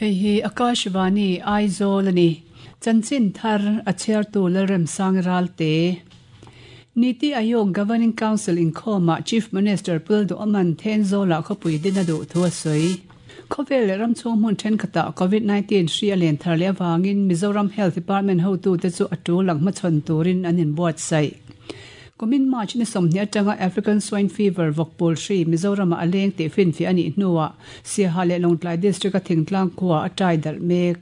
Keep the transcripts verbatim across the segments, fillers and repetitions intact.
Hei hi Akashvani Aizawl ani. Chanchin thar a chhiartu Lalremsang Ralte. Niti Aayog Governing Council inkhawmah Chief Minister Pu Lalduhoma'n Thenzawlah khawpui din a duh thu a sawi. Khawvel leh ram chhung hmun thenkhatah Covid nineteen hri a len thar leh avangin Mizoram Health Department hotute chu a tul ang hmachhawn turin an inbuatsaih. Kumin March ni sawmhnih atanga African Swine Fever vawkpawl hri Mizoramah a leng tih finfiah a nih hnuah Siaha leh Lawngtlai District-a thingtlang khuaa a tai darh mek.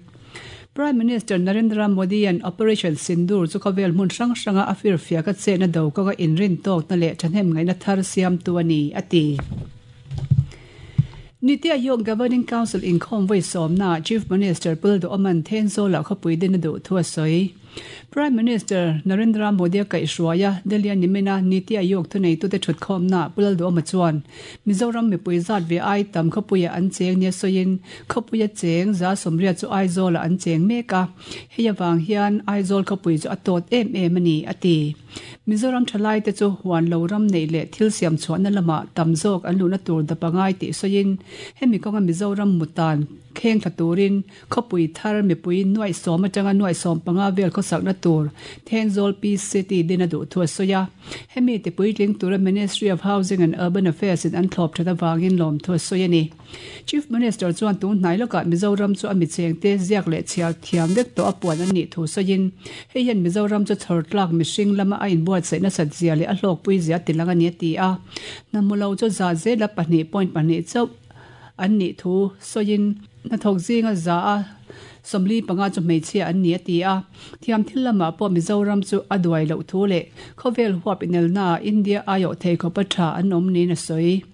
Prime Minister Narendra Modi-a'n Operation Sindoor chu khawvel hmun hrang hranga a firfiak a chetna do kawnga inrin tawkna leh thahnem ngaihna thar siamtu a ni, a ti. Niti Aayog Governing Council inkhawm vawi sawmnaah Chief Minister Pu Lalduhoma'n Thenzawlah khawpui din a duh thu a sawi. Prime Minister Narendra Modi a kaihhruai a, Delhi-a nimina Niti Aayog thuneitute thutkhawmnaah Pu Lalduhoma chuan Mizoram mipui zat ve ai tam khawpuiah an cheng nia sawiin khawpuia cheng za sawmriat chu Aizawlah an cheng mek a, hei avang hian Aizawl khawpui chu a tawt em em a ni, a ti. Mizoram thalaite chu huan lo ram neih leh thil siam chhuahna lamah tam zawk an luhna tur dap a ngai tih sawiin hemi kawnga Mizoram mutan kheng thla turin khawpui thar mipui nuaih sawm atanga nuaih sawm panga vel khawsakna tur Thenzawl Peace City din a duh thu a sawi a. Hemi ti puitling tura Ministry of Housing and Urban Affairs in an thlawp that avangin lawm thu a sawi a ni. Chief Minister chuan tun hnai lawkah Mizoram chu a michengte ziak leh chhiar thiam vek tawh a puan an nih thu sawiin hei hian Mizoram chu chhawr tlak mihring lama a inbuatsaih nasat zia leh a hlawkpui zia ti lang a ni a ti a. Hnamu lo chu za zela pahnih point pahnih chauh an nih thu sawiin hnathawk zinga za a sawmli panga chu hmeichhia an ni a ti a. Thiam thil lamah pawh Mizoram chu a duai loh thu leh khawvel huap inelnaah India aiawh thei khawpa tha an awm niin a sawi.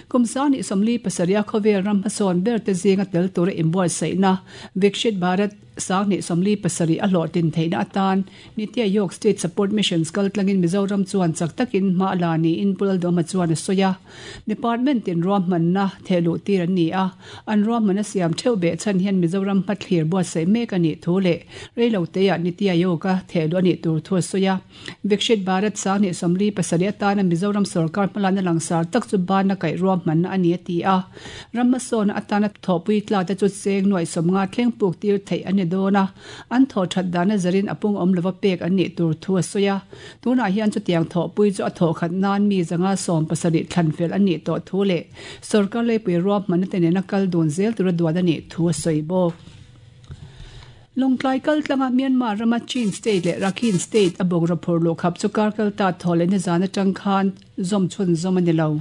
Kum sangni sawmli pasarih a khawvel ram hmasawn ber te zinga tel tura inbuatsaihna Viksit Bharat sangni sawmli pasarih a hlawhtlin theihna atan Niti Aayog State Support Missions kal tlangin Mizoram chuan chak takin hma a la niin Pu Lalduhoma chuan a sawi a. Department in ruahmanna thehluh tir an ni a, an ruahmanna siam theuh beh chhan hian Mizoram hmathlir buatsaih mek a nih thu leh reiloteah Niti Aayog-a thehluh a nih tur thu a sawi a. Viksit Bharat sangni sawmli pasarih atana Mizoram sorkar hmalakna langsar tak chu bana kaih ruahmanna a ni a ti a. Ram hmasawna atana thawhpui tla te chu cheng nuaih sawmnga thleng puk tir theih a ni dawn a, an thaw that dana zarin a pung awm lova pek an nih tur thu a sawi a. Tunah hian chutiang thawhpui chu a thawh khat nan mi zanga sawm pasarih thlan fel an nih tawh thu leh sorkar leipui ruahmanna te nena kal dun zel tura duan a nih thu a sawi bawk. Lawngtlai kal tlanga Myanmar rama Chin State leh Rakhine State a bawk raphur luhkhap chu kar kal ta thaw leh nizan atang khan zawm chhun zawm a ni lo.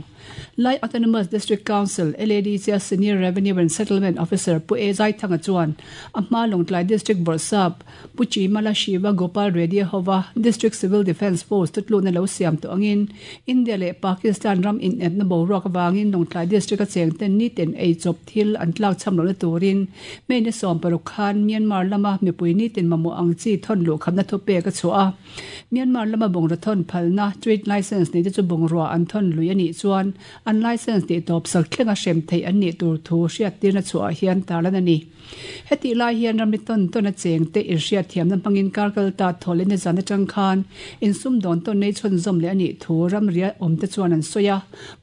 Lai Autonomous District Council, L A D C a Senior Revenue and Settlement Officer Pu A Zaithanga chuan a hma Lawngtlai District Bawrhsap Pu Chimala Shiva Gopal Reddy hova District Civil Defence Force tutluna lo siam tawh angin India leh Pakistan ram inepna boruak avangin Lawngtlai District a cheng ten ni ten ei chawp thil an tlak cham lohna turin May ni sawm paruk khan Myanmar lama mipui ni tin mamawh ang chi thawn luh khamna thu pek a chhuah a. Myanmar lama bungraw thawn phalna trade license nei te chu bungrua an thawn lui a nih chuan an license tih tawp sak thlenga hrem theih an nih tur thu hriat tirna chhuah hian tarlan a ni. Heti lai hian ramri tawn tawn a cheng te inhriat thiamna hmangin kar kal ta thaw leh nizan atang khan insum dawn tawn nei chhun zawm leh a nih thu ramria awm te chuan an sawi a.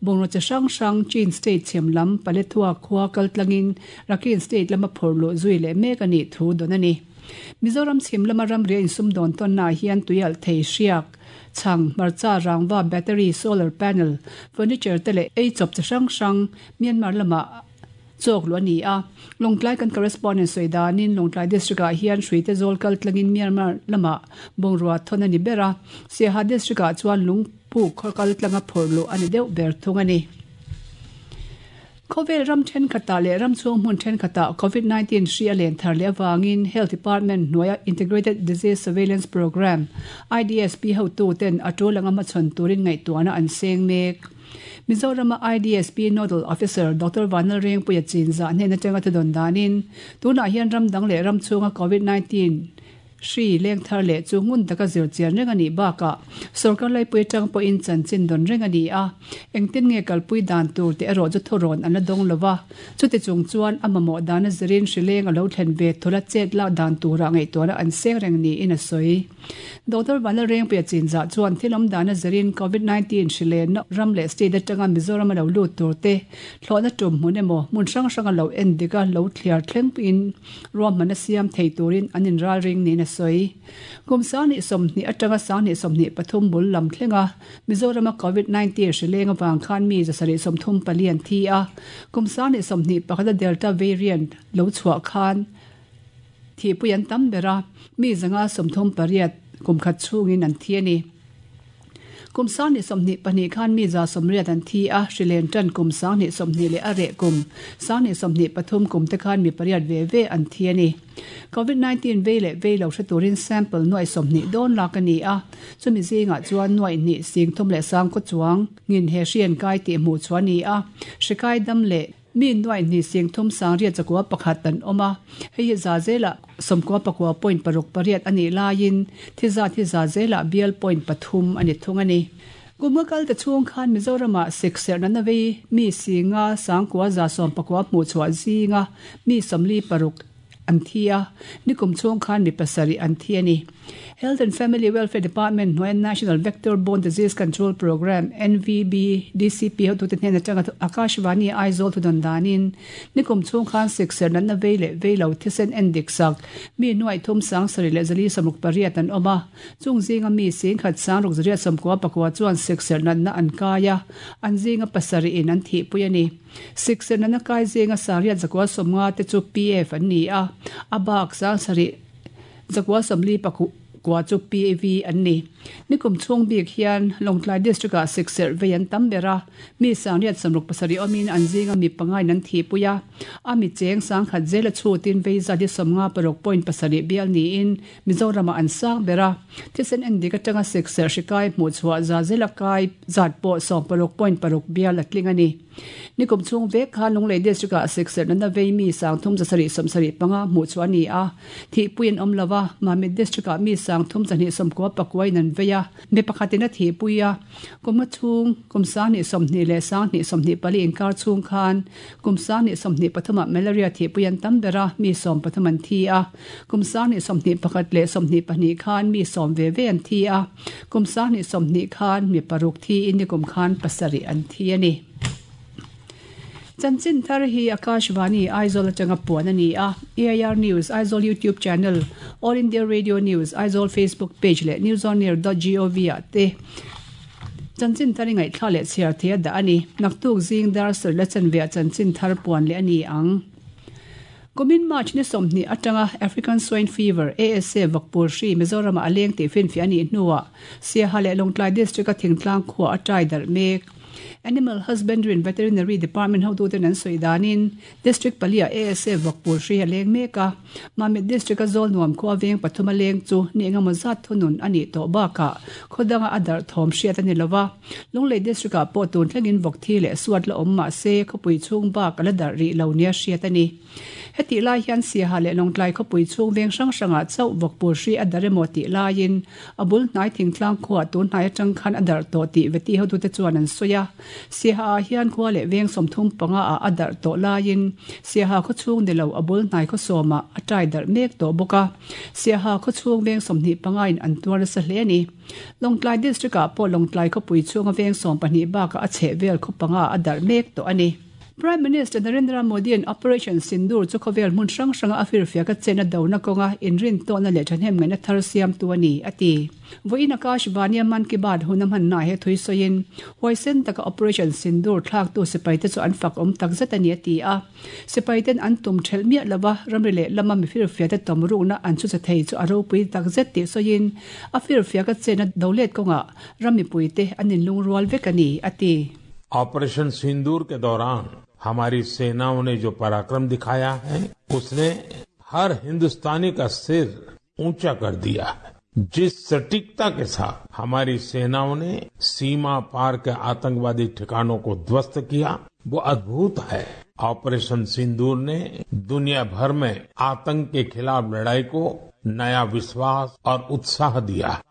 Bungraw chi hrang hrang Chin State chhem lam Paletwa khua kal tlangin Rakhine State lama phawrh luh zui leh mek a nih thu dawn a ni. Mizoram chhim lama ramria insum dawn tawnnaah hian tuialh thei hriak chhang hmarcha rangva battery solar panel furniture te leh ei chawp chi hrang hrang Myanmar lamah chawk luh a ni a. Lawngtlai kan correspondent sawi danin Lawngtlai District ah hian hruite zawl kal tlangin Myanmar lamah bungrua thawn a ni ber a. Siaha District ah chuan lungpuk khaw kal tlanga phawrh luh a ni deuh ber thung a ni. Khawvel ram thenkhatah leh ram chhung hmun thenkhatah Covid nineteen hri a len thar leh avangin Health Department hnuaia Integrated Disease Surveillance Programme I D S P hotu ten a tul anga hmachhawn turin ngaihtuahna an seng mek. Mizorama I D S P Nodal Officer Doctor Vanlalrengpuia Chinzah hnen atanga thudawn danin tunah hian ram dang leh ram chhunga Covid nineteen Hri leng thar leh chu ngun taka zir chian reng a nih bakah sorkar laipui atang pawhin chanchin dawn reng a ni a, engtin nge kalpui dan tur tih erawh chu thurawn an la dawng lova, chuti chung chuan a mamawh dana zirin hri leng a lo thlen ve thula chet lak dan turah ngaihtuahna an seng reng niin a sawi. Doctor Vanlalrengpuia Chinzah chuan thil awm dana zirin covid nineteen hri lenna ram leh state atanga Mizoram a lo lut tur te thlawhna tum hmun emaw hmun hrang hrang a lo en dik a lo thliar thleng in ruahmanna siam thei turin an inral ring niin a sawi. Kum sang hnih sawmhnih atanga sang hnih sawmhnih pathum bul lam thlenga Mizorama covid nineteen hri leng awang khan mi zasarih sawmthum pali an thi a, kum sang hnih sawmhnih pakhata Delta variant lo chhuah khan thi pui an tam bera mi zanga sawmthum pariat kum khat chungin an thi ani. Kum sang hnih sawmhnih pahnih khan mi za sawmriat an thi a, hri len tan kum sang hnih sawmhnih leh a reh kum sang hnih sawmhnih pathum kum te khan mi pariat ve ve an thi ani. Covid nineteen vei leh vei lo hre turin sample nuai sawmhnih dawn lak ani a, chumi zingah chuan nuai hnih sing thum leh sang kaw chuang ngin he hri an kai tih hmuh chu ani a, hri kai dam leh mi nuai hnih sing thum sang riat chakua pakhat an awm a, hei hi za zela sawmkua pakua point paruk pariat ani laiin thi za thi za zela bial point pathum ani thung ani. Kumnga kal te chhung khan Mizorama sikserh na vei mi singa sangkua za sawm pakua hmuh chhuah zinga mi sawmli paruk an thi a, nikum chhung khan mi pasarih an thi ani. Health and Family Welfare Department hnuaia National Vector Borne Disease Control Program N V B D C P hotute hnena atanga Akashvani Aizawl thudawn danin nikum chhung khan sikserh natna vei leh vei lo thisen en dik sak mi nuai thum sang sarih leh zali sawmruk pariat an awm a, chung zinga mi sing khat sang ruk zariat sawmkua pakua chuan sikserh natna an kai a, an zinga pasarih in an thihpui ani. Sikserh natna kai zinga sariat zakua sawmnga te chu P F an ni a, a bak sang sarih zakua sawmli pakua kwa chu P A V an ni. Nikum chung bik hian Lawngtlai district ah sikserh vei an tam bera mi sangriat sawmruk pasarih awmin an zinga mi pangai nan thi puia, a mi cheng sang khat zela chutin vei zadi sawmnga paruk point pasarih bial niin Mizorama an sang bera thisen en dik atanga sikserh hri kai hmuh chhuah za zela kai zat pawh sawm paruk point paruk bial a tling ani. Nikum chung vek khan Lunglei district ah sikserh natna vei mi sang thum zasarih sawmsarih panga hmuh chu ani a, thi puiin awm lova Mamit district ah mi sang thum zahnih sawmkua pakuain an vei a, mi pakhatin a thi pui a, kumnga chung kum sang hnih sawmhnih leh sang hnih sawmhnih pali inkar chung khan kum sang hnih sawmhnih pathumah malaria thi pui an tam bera mi sawm pathum an thi a, kum sang hnih sawmhnih pakhat leh sawmhnih pahnih khan mi sawm ve ve an thi a, kum sang hnih sawmhnih khan mi paruk thi in nikum khan pasarih an thi ani. Chanchin thar hi Akashvani Aizawl atanga puan ani a, A I R News Aizawl YouTube channel, All India Radio News Aizawl Facebook page leh newsonair dot gov ah te chanchin thar ngai thla leh chhiar thei da ani. Naktuk zing dar sar la chanve chanchin thar puan le ani ang. Kumin March ni sawmhnih atanga African Swine Fever A S A vakpur hri Mizorama aleng tih finfi ani hnuah Siaha leh Lawngtlai district a thingtlang khua a tai darh mek. Animal Husbandry and Veterinary Department hotuten an sawi danin District palia A S A vakpur hri a leng mek a, Mamit district a zawl nuam khua veng pathum a leng chu ni engemaw zat thunun ani tawh bakah khawdanga a darh thawm hriat ani lova, Lunglei district ah pawh tun thlengin vawk thi leh suat la awm mah se khawpui chhung bak a la darh rih lo nia hriat ani. Heti lai hian Siaha leh Lawngtlai khawpui chhung veng hrang hrangah chauh vakpur hri a darh emaw tih laiin a bul hnai thingtlang khuah tun hnai atang khan a darh tawh tih veti hotute chuan an sawi a, Siaha ah hian khua leh veng sawmthum panga ah a darh tawh laiin Siaha khaw chhung ni lo a bul hnai khaw sawmah a tai darh mek tawh bawk a, Siaha khaw chhung veng sawmhnih panga in an tuar nasa hle ani. Lawngtlai district ah pawh Lawngtlai khawpui chhunga veng sawm pahnih bakah a chheh vel khaw panga a darh mek tawh ani. Prime Minister Narendra Modi an Operation Sindoor chu khawvel hmun hrang hranga a firfiak a chen a dona kawnga inrin tawhna leh thahnem ngaihna thar siam tu ani ati. Vawiin Akashvani Man Ki Baat hun a hmanna he thui sawiin huaisen taka Operation Sindoor thlak tu sipai te chu an fak awm tak zet ani ati a, sipai ten an tum thelh miah lova ramri leh lama mi firfiak te tawm rukna an chu cha thei chu a ropui tak zet tih sawiin a firfiak a chen a dolet kawnga ramipui te an inlungrual vek ani ati. Operation सिंदूर के दौरान हमारी सेनाओं ने जो पराक्रम दिखाया है उसने हर हिंदुस्तानी का सिर ऊंचा कर दिया है। जिस सटीकता के साथ हमारी सेनाओं ने सीमा पार के आतंकवादी ठिकानों को ध्वस्त किया वो अद्भुत है। Operation सिंदूर ने दुनिया भर में आतंक के खिलाफ लड़ाई को नया विश्वास और उत्साह दिया है।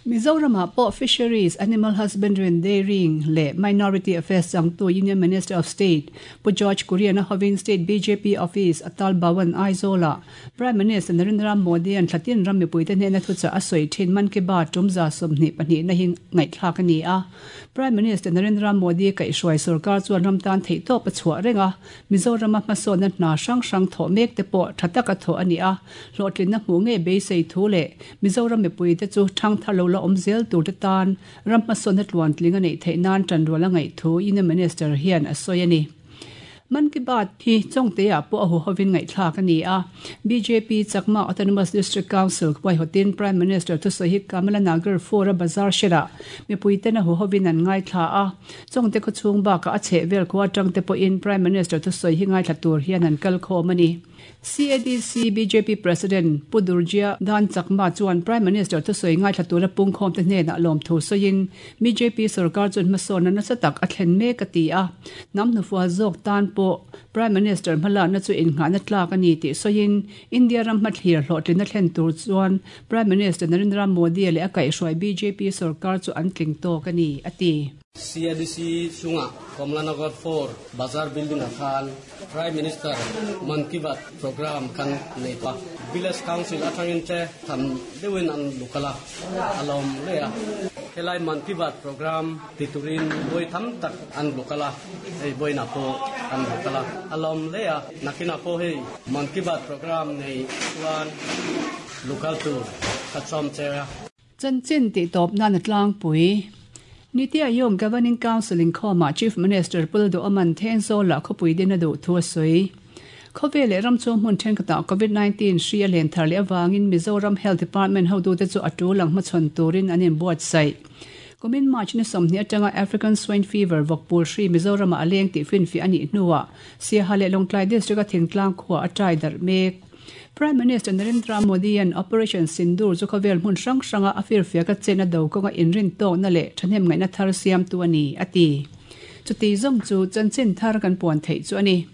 Mizoram ah pawh Fisheries, Animal Husbandry and Dairying leh Minority Affairs changtu Union Minister of State Pu George Kurian a hovin State bjp Office Atal Bhavan Aizawl ah Prime Minister Narendra Modi an thlatin ram mipuite hnena thuchah a sawi thin Mann Ki Baat tum za sawmhnih pahnihna hi ngaihthlak a ni a. Prime Minister Narendra Modi kaihhruai sorkar chuan ram tan theihtawp a chhuah reng a, Mizorama hmasawnna hna hrang hrang thawh mek te pawh tha taka thawh a ni a, hlawhtlinna hmuh ngei beisei thu leh Mizoram mipuite chu thang thar lo la awm zel tur te tan ram hmasawnna tluantling a neih theih nan tanrual a ngaih thu Union Minister hian a sawi a ni. Mann Ki Baat hi Chawngte-ah pawh a huhovin ngaihthlak a ni a. Bjp Chakma Autonomous District Council huaihawtin Prime Minister thusawi hi Kamala Nagar four a bazar hrelah mipuiten a huhovin an ngaithla a. Chawngte khawchhung bakah a chhehvel khua atangte pawhin Prime Minister thusawi hi ngaithla tur hian an kal khawm a ni. CADC bjp President Pu Durjya Dhan Chakma chuan Prime Minister thusawi ngaithla tura pungkhawmte hnenah lawmthu sawiin bjp sorkar chuan hmasawnna nasa tak a thlen mek a ti a. Hnam hnufual zawk tan pawh Prime Minister hmalakna chu innghahna tlak a ni tih sawiin India ram hmathlir hlawhtlinna thlen tur chuan Prime Minister Narendra Modi leh a kaihhruai bjp sorkar chu an tling tawk a ni a ti. CADC chungah Kamlanagar four bazar building ah khan Prime Minister Mann Ki Baat program kan nei tawh a. Village Council atangin te tham deuhin an lukal a, a lawm hle a. Helai Mann Ki Baat program ti turin bawi tam tak an lukal a, hei bawinah pawh an lukal a, a lawm hle a. Nakinah pawh hei Mann Ki Baat program nei chuan lukal tur ka chawm che a. Chanchin tihtawp nan a tlangpui. Niti Aayog Governing Council inkhawmah Chief Minister Pu Duhawman Thenzawlah khawpui din a duh thu a sawi. Khawvel leh ram chhung hmun thenkhatah Covid nineteen hri a len thar leh avangin Mizoram Health Department hotute chu a tul ang hmachhawn turin an inbuatsaih. Kumin March ni sawmhnih atanga African Swine Fever vawkpul hri Mizoramah a leng tih finfiah a nih hnuah Siaha leh Lawngtlai District a thingtlang khua a tai darh mek. Prime Minister Narendra Modi-a'n Operation Sindoor chu khawvel hmun hrang hranga a firfiak a chenna do kawnga inrin tawkna leh thahnem ngaihna thar siamtu a ni, a ti. Chuti zawng chu chanchin thar kan puan theih chu a ni.